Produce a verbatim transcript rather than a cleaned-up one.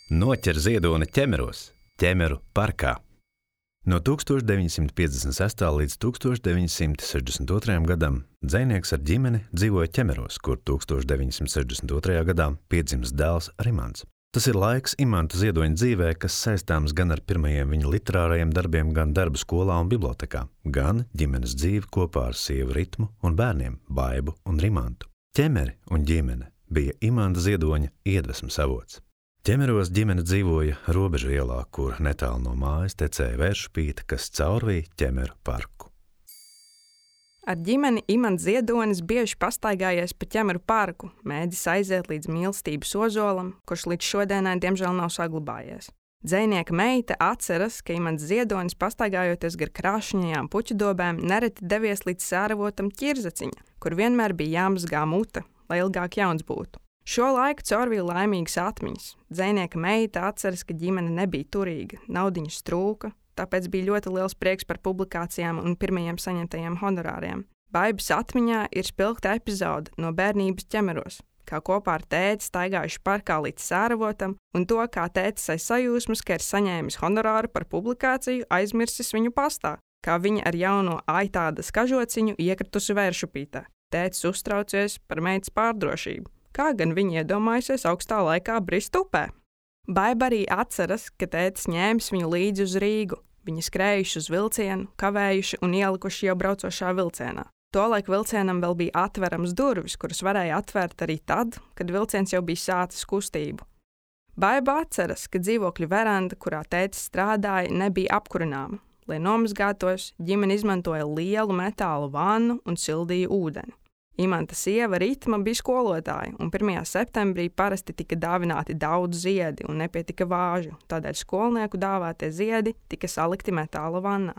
Noķer ziedoni ķemeros, ķemeru parkā. No tūkstoš deviņsimt piecdesmit sestā līdz tūkstoš deviņsimt sešdesmit otrajam gadam dzejnieks ar ģimeni dzīvoja ķemeros, kur tūkstoš deviņsimt sešdesmit otrajā gadā piedzimis dēls Rimants. Tas ir laiks Imanta Ziedoņa dzīvē, kas saistāms gan ar pirmajiem viņa literārajiem darbiem, gan darbu skolā un bibliotekā, gan ģimenes dzīvi kopā ar sievu Ritmu un bērniem Baibu un Rimantu. Ķemeri un ģimene bija Imanta Ziedoņa iedvesmas avots. Ķemeros ģimene dzīvoja Robežu ielā, kur netālu no mājas tecēja vēršupīte, kas caurvīja ķemeru parku. Ar ģimeni Imants Ziedonis bieži pastaigājies pa ķemeru parku, mēģis aiziet līdz mīlestības ozolam, kurš līdz šodienai diemžēl nav saglabājies. Dzejnieka meita atceras, ka Imants Ziedonis pastaigājoties gar krāšņajām puķudobēm nereti devies līdz sēravotam ķirzaciņa, kur vienmēr bija jāmazgā mute, lai ilgāk jauns būtu. Šo laiku caurvīja laimīgas atmiņas. Dzejnieka meita atceras, ka ģimene nebija turīga, naudiņas trūka, tāpēc bija ļoti liels prieks par publikācijām un pirmajiem saņemtajiem honorāriem. Baibas atmiņā ir spilgta epizode no bērnības ķemeros, kā kopā ar tēti staigājuši parkā līdz sēravotam, un to, kā tētis aiz sajūsmas, ka ir saņēmis honorāru par publikāciju, aizmirsis viņu pastā, kā viņa ar jauno aitādas kažociņu iekritusi vēršupītē. Tētis uztraucies par meitas pārdrošību. Kā gan viņa iedomājusies augstā laikā brist upē. Baiba arī atceras, ka tētis ņēmis viņu līdzi uz Rīgu. Viņi skrējuši uz vilcienu, kavējuši un ielikuši jau braucošā vilcienā. Tolaik vilcienam vēl bija atverams durvis, kuras varēja atvērt arī tad, kad vilciens jau bija sācis kustību. Baiba atceras, ka dzīvokļu veranda, kurā tētis strādāja, nebija apkurināma. Lai nomazgātos, ģimene izmantoja lielu metālu vannu un sildīja ūdeni. Imanta sieva Ritma bija skolotāja, un pirmajā septembrī parasti tika dāvināti daudz ziedi un nepietika vāžu, tādēļ skolnieku dāvātie ziedi tika salikti metāla vannā.